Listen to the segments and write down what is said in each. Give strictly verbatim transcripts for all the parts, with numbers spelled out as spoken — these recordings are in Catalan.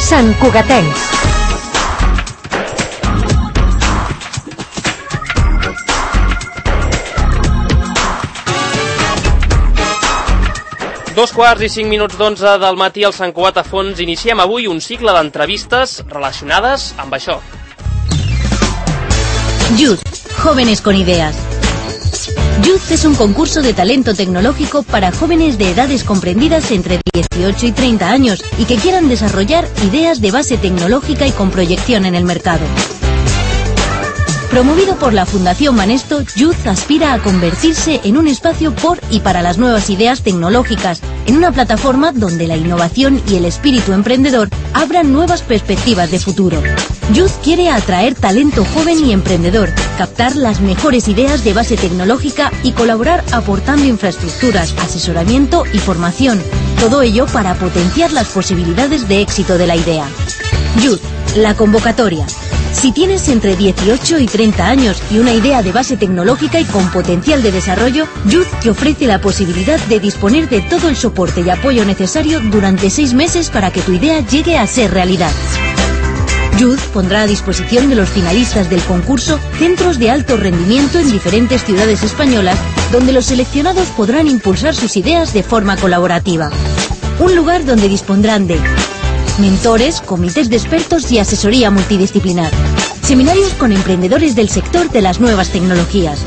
Sant Cugatencs. Dos quarts i cinc minuts d'onze del matí al Sant Cugat a Fons. Iniciem avui un cicle d'entrevistes relacionades amb això. Youth, jóvenes con ideas. Youth es un concurso de talento tecnológico para jóvenes de edades comprendidas entre dieciocho y treinta años y que quieran desarrollar ideas de base tecnológica y con proyección en el mercado. Promovido por la Fundación Banesto, Youth aspira a convertirse en un espacio por y para las nuevas ideas tecnológicas, en una plataforma donde la innovación y el espíritu emprendedor abran nuevas perspectivas de futuro. Youth quiere atraer talento joven y emprendedor, captar las mejores ideas de base tecnológica y colaborar aportando infraestructuras, asesoramiento y formación. Todo ello para potenciar las posibilidades de éxito de la idea. Youth, la convocatoria. Si tienes entre dieciocho y treinta años y una idea de base tecnológica y con potencial de desarrollo, Youth te ofrece la posibilidad de disponer de todo el soporte y apoyo necesario durante seis meses para que tu idea llegue a ser realidad. Youth pondrá a disposición de los finalistas del concurso centros de alto rendimiento en diferentes ciudades españolas, donde los seleccionados podrán impulsar sus ideas de forma colaborativa. Un lugar donde dispondrán de mentores, comités de expertos y asesoría multidisciplinar. Seminarios con emprendedores del sector de las nuevas tecnologías.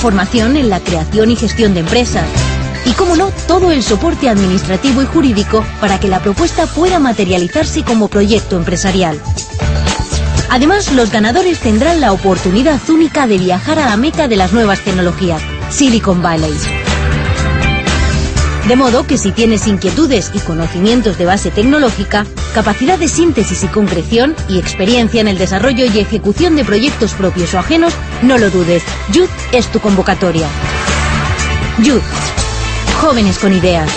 Formación en la creación y gestión de empresas. Y, cómo no, todo el soporte administrativo y jurídico para que la propuesta pueda materializarse como proyecto empresarial. Además, los ganadores tendrán la oportunidad única de viajar a la meca de las nuevas tecnologías, Silicon Valley. De modo que si tienes inquietudes y conocimientos de base tecnológica, capacidad de síntesis y concreción y experiencia en el desarrollo y ejecución de proyectos propios o ajenos, no lo dudes, Youth es tu convocatoria. Youth, jóvenes con ideas.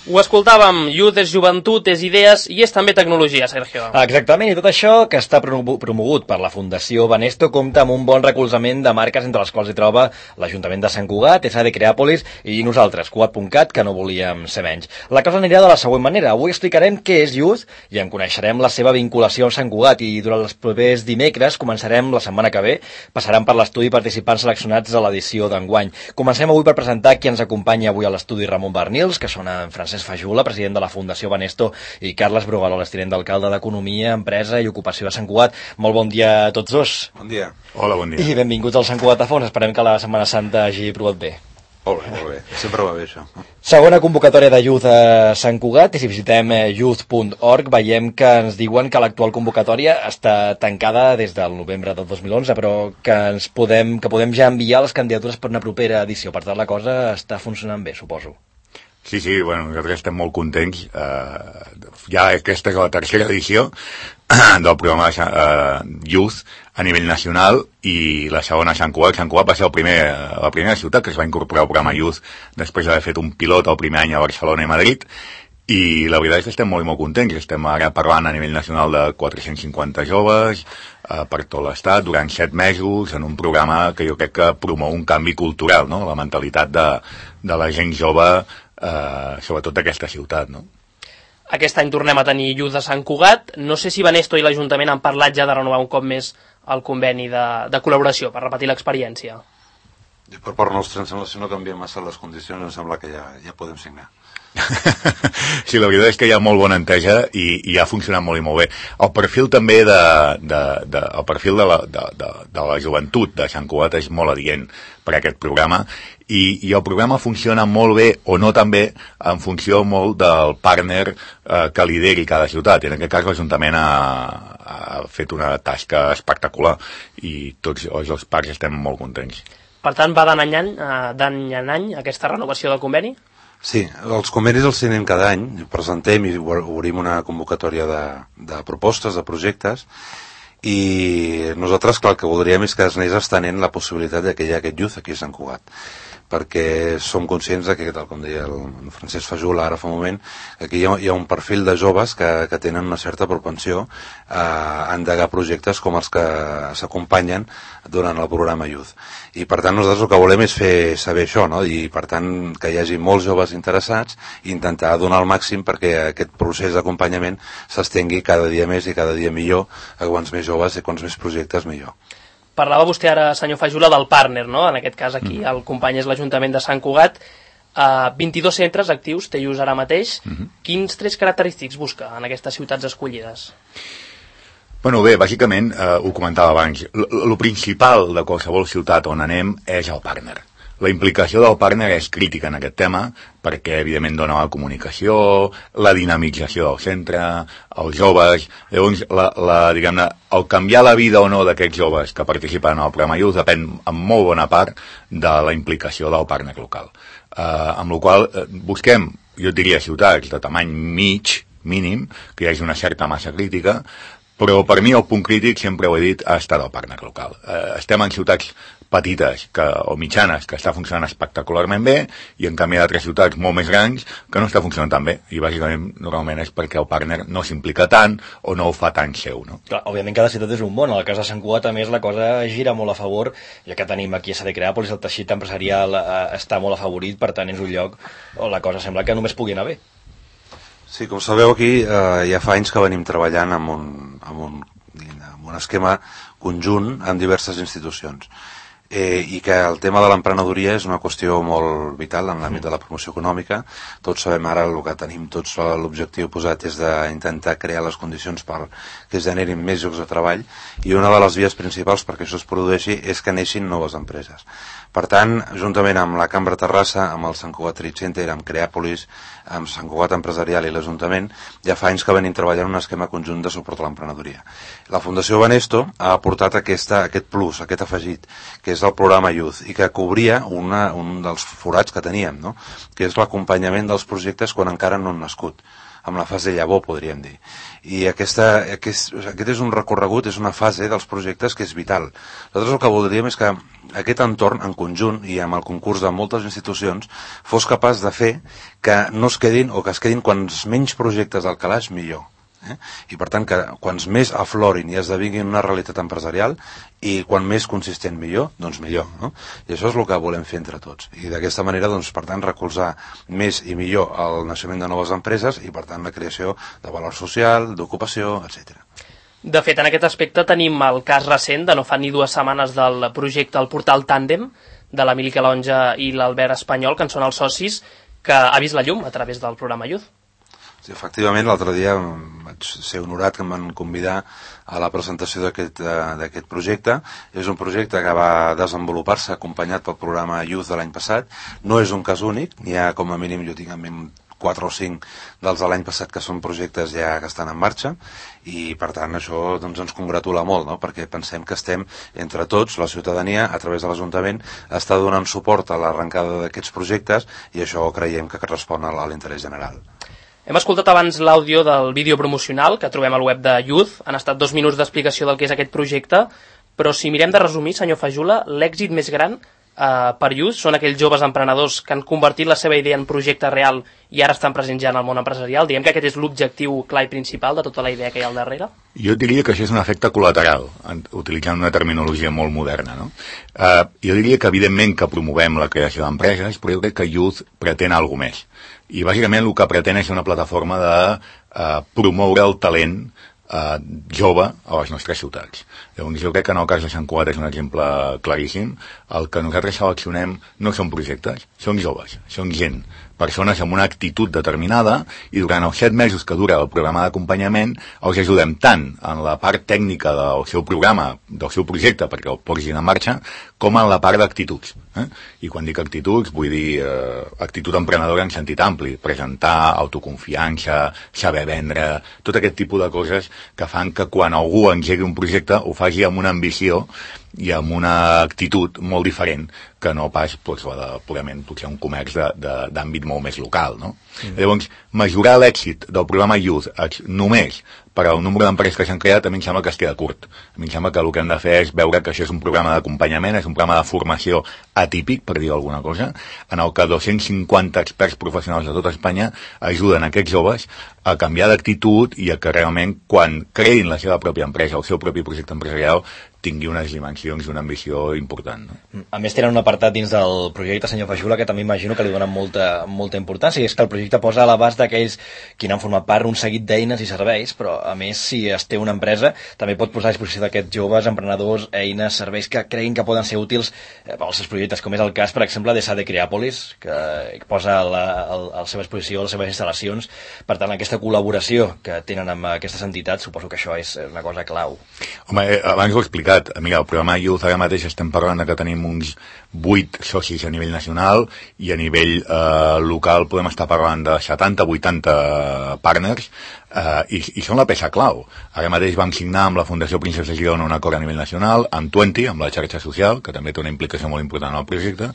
Ho escoltàvem, Youth és joventut, és idees i és també tecnologia, Sergio. Exactament, i tot això que està promogut per la Fundació Banesto compta amb un bon recolzament de marques entre les quals hi troba l'Ajuntament de Sant Cugat, S A D Creàpolis i nosaltres, Cugat punt cat, que no volíem ser menys. La cosa anirà de la següent manera. Avui explicarem què és Youth i en coneixerem la seva vinculació amb Sant Cugat i durant els propers dimecres, començarem la setmana que ve, passaran per l'estudi participants seleccionats a l'edició d'enguany. Comencem avui per presentar qui ens acompanya avui a l'estudi: Ramon Barnils, que són en Francesc Fajula, president de la Fundació Banesto, i Carles Brugueroles, tinent d'alcalde d'Economia, Empresa i Ocupació de Sant Cugat. Molt bon dia a tots dos. Bon dia. Hola, bon dia. I benvinguts al Sant Cugat a Fons. Esperem que la Setmana Santa hagi provat bé. Molt bé, molt bé. Sempre va bé, això. Segona convocatòria de Youth a Sant Cugat, i si visitem youth punt org veiem que ens diuen que l'actual convocatòria està tancada des del novembre del dos mil onze, però que ens podem, que podem ja enviar les candidatures per una propera edició. Per tant, la cosa està funcionant bé, suposo. Sí, sí, bueno, nosaltres estem molt contents. Uh, ja aquesta és la tercera edició del programa de uh, Youth a nivell nacional i la segona a Sant Cugat. Sant Cugat va ser el primer, la primera ciutat que es va incorporar al programa Youth després d'haver fet un pilot el primer any a Barcelona i Madrid, i la veritat és que estem molt molt contents. Estem ara parlant a nivell nacional de quatre-cents cinquanta joves uh, per tot l'estat durant set mesos en un programa que jo crec que promou un canvi cultural, no? La mentalitat de, de la gent jove, Uh, sobretot d'aquesta ciutat, no? Aquest any tornem a tenir Youth a Sant Cugat. No sé si Banesto i l'Ajuntament han parlat ja de renovar un cop més el conveni de, de col·laboració per repetir l'experiència. Per part nostra, em sembla, si no canviem massa les condicions, em sembla que ja, ja podem signar. Sí, la veritat és que hi ha molt bona entesa i, i ha funcionat molt i molt bé. El perfil també de, de, de, el perfil de la, de, de, de la joventut de Sant Cugat és molt adient per a aquest programa, i, i el programa funciona molt bé o no tan bé en funció molt del partner eh, que lideri cada ciutat. I en aquest cas l'Ajuntament ha, ha fet una tasca espectacular i tots els dos parts estem molt contents. Per tant, va d'any en any, d'any en any aquesta renovació del conveni? Sí, els convenis els signem cada any, presentem i obrim una convocatòria de, de propostes, de projectes, i nosaltres, clar, el que voldríem és que es anés estenent la possibilitat de que hi ha aquest Youth aquí a Sant Cugat. perquè som conscients de que, tal com deia el Francesc Fajula ara fa un moment, aquí hi ha, hi ha un perfil de joves que, que tenen una certa propensió a endegar projectes com els que s'acompanyen durant el programa Youth. I per tant nosaltres el que volem és fer saber això, no? I per tant que hi hagi molts joves interessats i intentar donar el màxim perquè aquest procés d'acompanyament s'estengui cada dia més i cada dia millor, a quants més joves i quants més projectes millor. Parlava vostè ara, senyor Fajula, del partner, no? En aquest cas aquí mm. el company és l'Ajuntament de Sant Cugat. Uh, vint-i-dos centres actius té Youth ara mateix. Mm-hmm. Quins tres característics busca en aquestes ciutats escollides? Bueno, bé, bàsicament, eh, ho comentava abans, el principal de qualsevol ciutat on anem és el partner. La implicació del partner és crítica en aquest tema perquè, evidentment, dona la comunicació, la dinamització del centre, els joves. Llavors, la, la, diguem-ne, el canviar la vida o no d'aquests joves que participen en el programa Youth depèn en molt bona part de la implicació del partner local. Eh, amb la qual cosa busquem, jo diria, ciutats de tamany mig, mínim, que hi hagi una certa massa crítica, però per mi el punt crític, sempre ho he dit, ha estat el partner local. Eh, estem en ciutats petites que, o mitjanes que està funcionant espectacularment bé i en canvi d'altres ciutats molt més grans que no està funcionant tan bé i bàsicament normalment és perquè el partner no s'implica tant o no ho fa tan seu, no? Clar, òbviament cada ciutat és un món. En el cas de Sant Cugat a més la cosa gira molt a favor, ja que tenim aquí a S A D Creàpolis, el teixit empresarial eh, està molt afavorit, per tant és un lloc on la cosa sembla que només pugui anar bé. Sí, com sabeu aquí eh, ja fa anys que venim treballant amb un, amb un, amb un esquema conjunt amb diverses institucions. Eh, i que el tema de l'emprenedoria és una qüestió molt vital en l'àmbit de la promoció econòmica. Tots sabem ara el que tenim, tots l'objectiu posat és d'intentar crear les condicions per que es generin més llocs de treball i una de les vies principals perquè això es produeixi és que neixin noves empreses. Per tant, juntament amb la Cambra Terrassa, amb el Sant Cugat Trade Center, amb Creàpolis, amb Sant Cugat Empresarial i l'Ajuntament, ja fa anys que venim treballant un esquema conjunt de suport a l'emprenedoria. La Fundació Banesto ha aportat aquesta, aquest plus, aquest afegit, que és el programa Youth, i que cobria una, un dels forats que teníem, no? Que és l'acompanyament dels projectes quan encara no han nascut, amb la fase llavor, podríem dir. I aquesta, aquest, aquest és un recorregut, és una fase dels projectes que és vital. Nosaltres el que voldríem és que aquest entorn, en conjunt, i amb el concurs de moltes institucions, fos capaç de fer que no es quedin, o que es quedin quants menys projectes al calaix, millor. Eh? I per tant que quants més aflorin i esdevinguin una realitat empresarial i quan més consistent millor, doncs millor, no? I això és el que volem fer entre tots i d'aquesta manera, doncs, per tant, recolzar més i millor el naixement de noves empreses i per tant la creació de valor social, d'ocupació, etcètera. De fet, en aquest aspecte tenim el cas recent de no fa ni dues setmanes del projecte El Portal Tàndem de l'Emili Calonja i l'Albert Espanyol, que en són els socis, que ha vist la llum a través del programa Youth. Sí, efectivament, l'altre dia vaig ser honorat que em van convidar a la presentació d'aquest projecte. És un projecte que va desenvolupar-se acompanyat pel programa Youth de l'any passat. No és un cas únic, n'hi ha com a mínim, jo tinc en ment quatre o cinc dels de l'any passat que són projectes ja que estan en marxa i per tant això doncs, ens congratula molt, no? Perquè pensem que estem entre tots, la ciutadania, a través de l'Ajuntament, està donant suport a l'arrencada d'aquests projectes i això creiem que respon a l'interès general. Hem escoltat abans l'àudio del vídeo promocional que trobem al web de Youth. Han estat dos minuts d'explicació del que és aquest projecte, però si mirem de resumir, senyor Fajula, l'èxit més gran eh, per Youth són aquells joves emprenedors que han convertit la seva idea en projecte real i ara estan presents ja en el món empresarial. Diguem que aquest és l'objectiu clar i principal de tota la idea que hi ha al darrere. Jo diria que això és un efecte col·lateral, utilitzant una terminologia molt moderna, no? Eh, jo diria que evidentment que promovem la creació d'empreses, però jo crec que Youth pretén alguna més. I bàsicament el que pretén és una plataforma de eh, promoure el talent eh, jove a les nostres ciutats. Llavors jo crec que en el cas de Sant Cugat és un exemple claríssim. El que nosaltres seleccionem no són projectes, són joves, són gent, persones amb una actitud determinada i durant els set mesos que dura el programa d'acompanyament els ajudem tant en la part tècnica del seu programa, del seu projecte perquè el posin en marxa, com en la part d'actituds. Eh? I quan dic actituds vull dir eh, actitud emprenedora en sentit ampli, presentar, autoconfiança, saber vendre, tot aquest tipus de coses que fan que quan algú engegui un projecte ho faci amb una ambició i amb una actitud molt diferent que no pas doncs, la de purament potser un comerç d'àmbit molt més local, no? Mm. Llavors, mesurar l'èxit del programa Youth només per al número d'empreses que s'han creat a mi em sembla que es queda curt. A mi em sembla que el que hem de fer és veure que això és un programa d'acompanyament, és un programa de formació atípic, per dir alguna cosa, en el que dos-cents cinquanta experts professionals de tota Espanya ajuden aquests joves a canviar d'actitud i a que realment quan creïn la seva pròpia empresa, el seu propi projecte empresarial, tingui unes dimensions i una ambició important. No? A més, tenen un apartat dins del projecte, senyor Fajula, que també imagino que li donen molta, molta importància, i és que el projecte posa a l'abast d'aquells qui n'han format part un seguit d'eines i serveis, però a més, si es té una empresa, també pot posar a disposició d'aquests joves, emprenedors, eines, serveis que creguin que poden ser útils eh, als seus projectes, com és el cas, per exemple, de S A D Creàpolis, que, que posa a la, a la seva exposició les seves instal·lacions. Per tant, aquesta col·laboració que tenen amb aquestes entitats, suposo que això és una cosa clau. Home, eh, abans ho he explicat. Mira, el programa Youth ara mateix estem parlant que tenim uns vuit socis a nivell nacional i a nivell eh, local podem estar parlant de setanta a vuitanta partners eh, i, i són la peça clau. Ara mateix vam signar amb la Fundació Princesa Girona un acord a nivell nacional, amb Twenty, amb la xarxa social, que també té una implicació molt important en el projecte.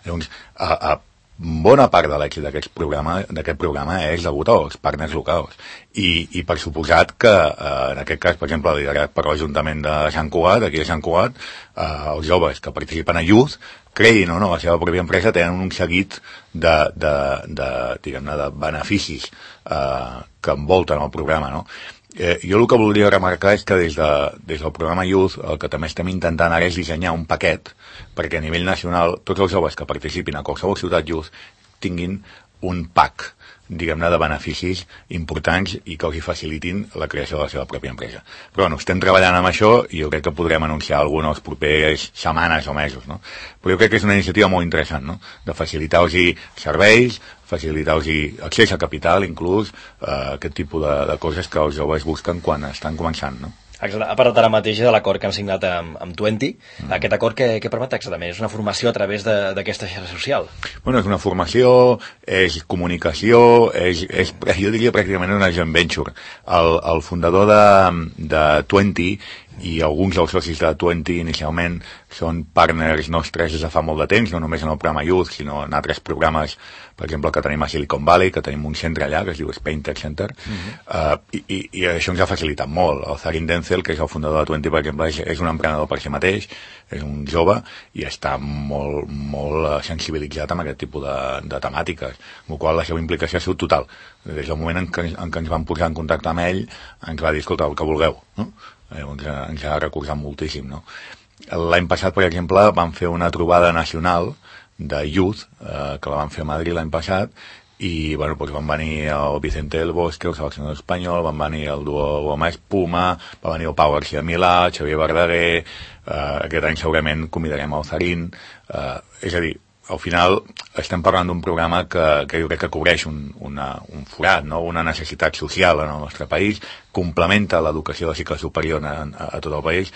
Llavors, a, a bona part de l'èxit d'aquest programa, d'aquest programa és degut als partners locals. I, i per suposat que, eh, en aquest cas, per exemple, liderat per l'Ajuntament de Sant Cugat, aquí a Sant Cugat, eh, els joves que participen a Youth, creïn o no la seva pròpia empresa, tenen un seguit de, de, de, diguem-ne, de beneficis eh, que envolten el programa, no? Eh, jo el que voldria remarcar és que des, de, des del programa Youth el que també estem intentant ara és dissenyar un paquet perquè a nivell nacional tots els joves que participin a qualsevol ciutat Youth tinguin un pack, diguem-ne, de beneficis importants i que els hi facilitin la creació de la seva pròpia empresa. Però bueno, estem treballant amb això i jo crec que podrem anunciar alguna els propers setmanes o mesos, no? Però jo crec que és una iniciativa molt interessant, no? De facilitar-los serveis, facilitar-los accés a capital, inclús eh, aquest tipus de, de coses que els joves busquen quan estan començant, no? Ha parlat ara mateix de l'acord que han signat amb, amb Twenty. Mm. Aquest acord què, què permet exactament? És una formació a través d'aquesta xarxa social? Bueno, és una formació, és comunicació, és, és, jo diria pràcticament una joint venture. El, el fundador de, de Twenty i alguns dels socis de Twenty inicialment són partners nostres des de fa molt de temps, no només en el programa Youth, sinó en altres programes, per exemple, que tenim a Silicon Valley, que tenim un centre allà, que es diu Spain Tech Center, uh-huh. uh, i, i, i això ens ha facilitat molt. El Zarin Denzel, que és el fundador de Twenty, per exemple, és, és un emprenedor per si mateix, és un jove, i està molt, molt sensibilitzat amb aquest tipus de, de temàtiques, amb la qual la seva implicació ha sigut total. Des del moment en què, en què ens vam posar en contacte amb ell, ens va dir, escolta, el que vulgueu, no? Ens ha, ens ha recolzat moltíssim, no? L'any passat, per exemple, vam fer una trobada nacional de Youth, eh, que la vam fer a Madrid l'any passat, i bueno, doncs van venir el Vicente del Bosque, el seleccionador espanyol, van venir el duo Goma Espuma, va venir el Pau García Milà, Xavier Verdaguer, eh, aquest any segurament convidarem el Zarin, eh, és a dir, al final estem parlant d'un programa que, que jo crec que cobreix un, una, un forat, no? Una necessitat social en el nostre país, complementa l'educació de cicle superior a, a, a tot el país,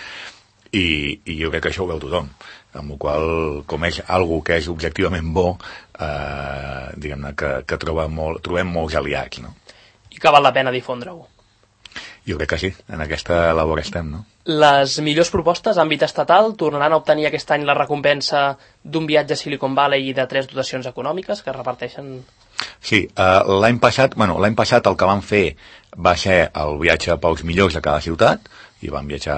i, i jo crec que això ho veu tothom, amb la qual com és algo que és objectivament bo, eh, diguem-ne que, que trobem, molt, trobem molts aliats, no? I que val la pena difondre-ho. Jo crec que sí, en aquesta labor estem, no? Les millors propostes a àmbit estatal tornaran a obtenir aquest any la recompensa d'un viatge a Silicon Valley i de tres dotacions econòmiques que es reparteixen... Sí, uh, l'any passat, bueno, l'any passat el que vam fer va ser el viatge pels millors de cada ciutat, i van viatjar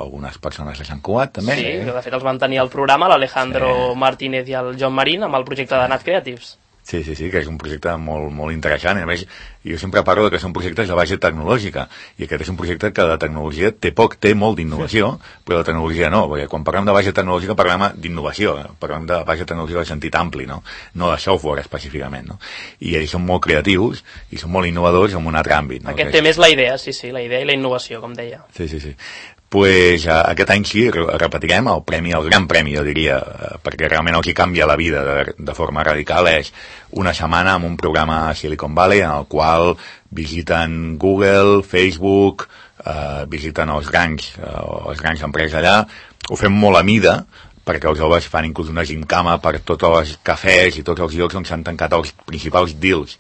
algunes persones de Sant Cugat, també. Sí, que de fet els van tenir al programa, l'Alejandro sí. Martínez i el John Marín, amb el projecte de Nat Creatives. Sí, sí, sí, que és un projecte molt, molt interessant. I a més, jo sempre parlo que són projectes de base tecnològica, i aquest és un projecte que de tecnologia té poc, té molt d'innovació, però de tecnologia no, perquè quan parlem de base tecnològica parlem d'innovació, parlem de base tecnològica en sentit ampli, no? No de software específicament, no? I ells són molt creatius i són molt innovadors en un altre àmbit, no? Aquest tema és la idea, sí, sí, la idea i la innovació, com deia. Sí, sí, sí. Pues uh, aquest any sí, repetirem el premi, el gran premi, jo diria, uh, perquè realment el que canvia la vida de, de forma radical és una setmana amb un programa a Silicon Valley en el qual visiten Google, Facebook, uh, visiten els grans, uh, els grans empreses allà, ho fem molt a mida, perquè els joves fan inclús una gimcama per tots els cafès i tots els llocs on s'han tancat els principals deals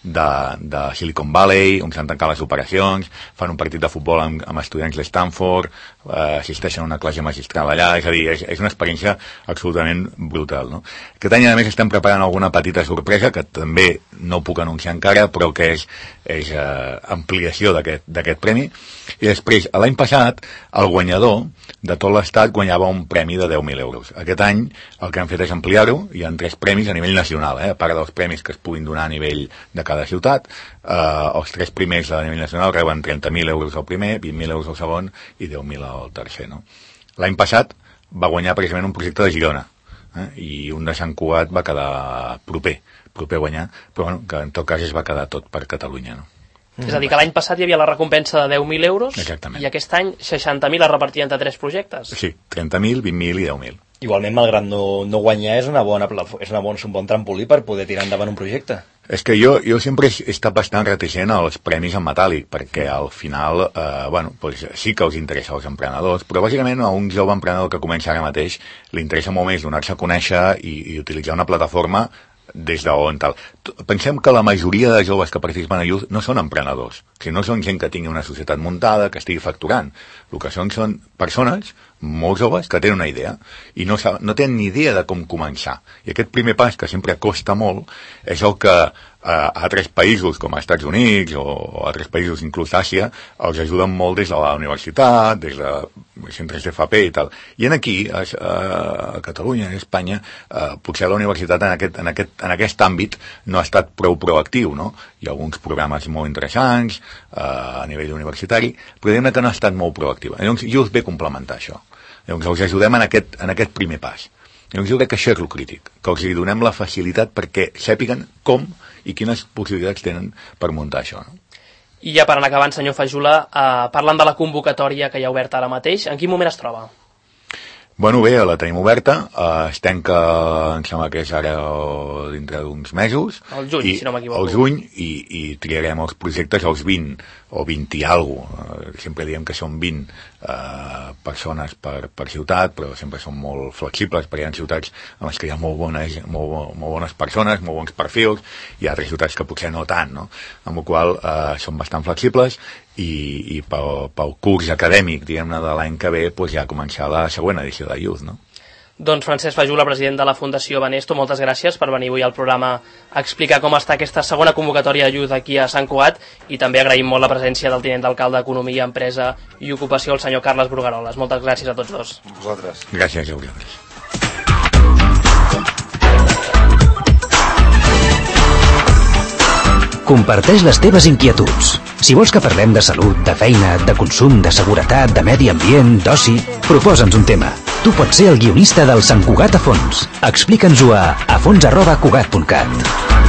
de, de Silicon Valley, on s'han tancat les operacions, fan un partit de futbol amb, amb estudiants de Stanford, eh, assisteixen a una classe magistral allà, és a dir, és, és una experiència absolutament brutal, no? Aquest any, a més, estem preparant alguna petita sorpresa, que també no puc anunciar encara, però que és, és eh, ampliació d'aquest premi. I després, l'any passat, el guanyador de tot l'estat guanyava un premi de deu mil euros. Aquest any el que han fet és ampliar-ho, hi ha tres premis a nivell nacional, eh? A part dels premis que es puguin donar a nivell de cada ciutat, eh, els tres primers a nivell nacional reben trenta mil euros al primer, vint mil euros al segon i deu mil al tercer, no? L'any passat va guanyar precisament un projecte de Girona, eh? I un de Sant Cugat va quedar proper, proper a guanyar, però bueno, que en tot cas es va quedar tot per Catalunya, no? Mm. És a dir, que l'any passat hi havia la recompensa de deu mil euros. Exactament. I aquest any seixanta mil es repartien entre tres projectes. Sí, trenta mil, vint mil i deu mil. Igualment, malgrat no, no guanyar, és, una bona, és una bona, un bon trampolí per poder tirar endavant un projecte. És que jo, jo sempre he estat bastant reticent als premis en metàl·lic, perquè al final, eh, bueno, pues sí que els interessa als emprenedors, però bàsicament a un jove emprenedor que comença ara mateix li interessa molt més donar-se a conèixer i, i utilitzar una plataforma des d'on tal. Pensem que la majoria de joves que participen a Youth no són emprenedors, que no són gent que tingui una societat muntada, que estigui facturant. El que són són persones molt joves que tenen una idea i no, no tenen ni idea de com començar. I aquest primer pas, que sempre costa molt, és el que a altres països com als Estats Units o, o altres països, inclús Àsia, els ajuden molt des de la universitat, des de centres d'F P i tal. I en aquí, a, a Catalunya, a Espanya, eh, potser la universitat en aquest, en, aquest, en aquest àmbit no ha estat prou proactiu, no? Hi ha alguns programes molt interessants eh, a nivell universitari, però diguem que no ha estat molt proactiva. Llavors, Youth ve complementar això. Llavors, els ajudem en aquest, en aquest primer pas. Llavors, jo crec que això és el crític, que els donem la facilitat perquè sàpiguen com i quines possibilitats tenen per muntar això, no? I ja per anar acabant, senyor Fajula, eh, parlant de la convocatòria que hi ha oberta ara mateix, en quin moment es troba? Bueno, bé, la tenim oberta, eh, es tanca, em sembla que és ara dintre d'uns mesos. El juny, i, si no m'equivoco. El juny, i, i triarem els projectes als vint, o vint i alguna cosa. Eh, sempre diem que són vint eh, persones per, per ciutat, però sempre són molt flexibles, perquè hi ha ciutats en les que hi ha molt bones, molt, molt bones persones, molt bons perfils, i altres ciutats que potser no tant, no? Amb la qual cosa eh, són bastant flexibles, i, i pel, pel curs acadèmic, diguem-ne, de l'any que ve, pues ja començar la següent edició de Youth, no? Doncs Francesc Fajula, president de la Fundació Banesto, moltes gràcies per venir avui al programa a explicar com està aquesta segona convocatòria de Youth aquí a Sant Cugat, i també agraïm molt la presència del tinent d'alcalde d'Economia, Empresa i Ocupació, el senyor Carles Brugaroles. Moltes gràcies a tots dos. Vosaltres. Gràcies a vosaltres. Comparteix les teves inquietuds. Si vols que parlem de salut, de feina, de consum, de seguretat, de medi ambient, d'oci, proposa'ns un tema. Tu pots ser el guionista del Sant Cugat a fons. Explica'ns-ho a afons arroba cugat punt cat.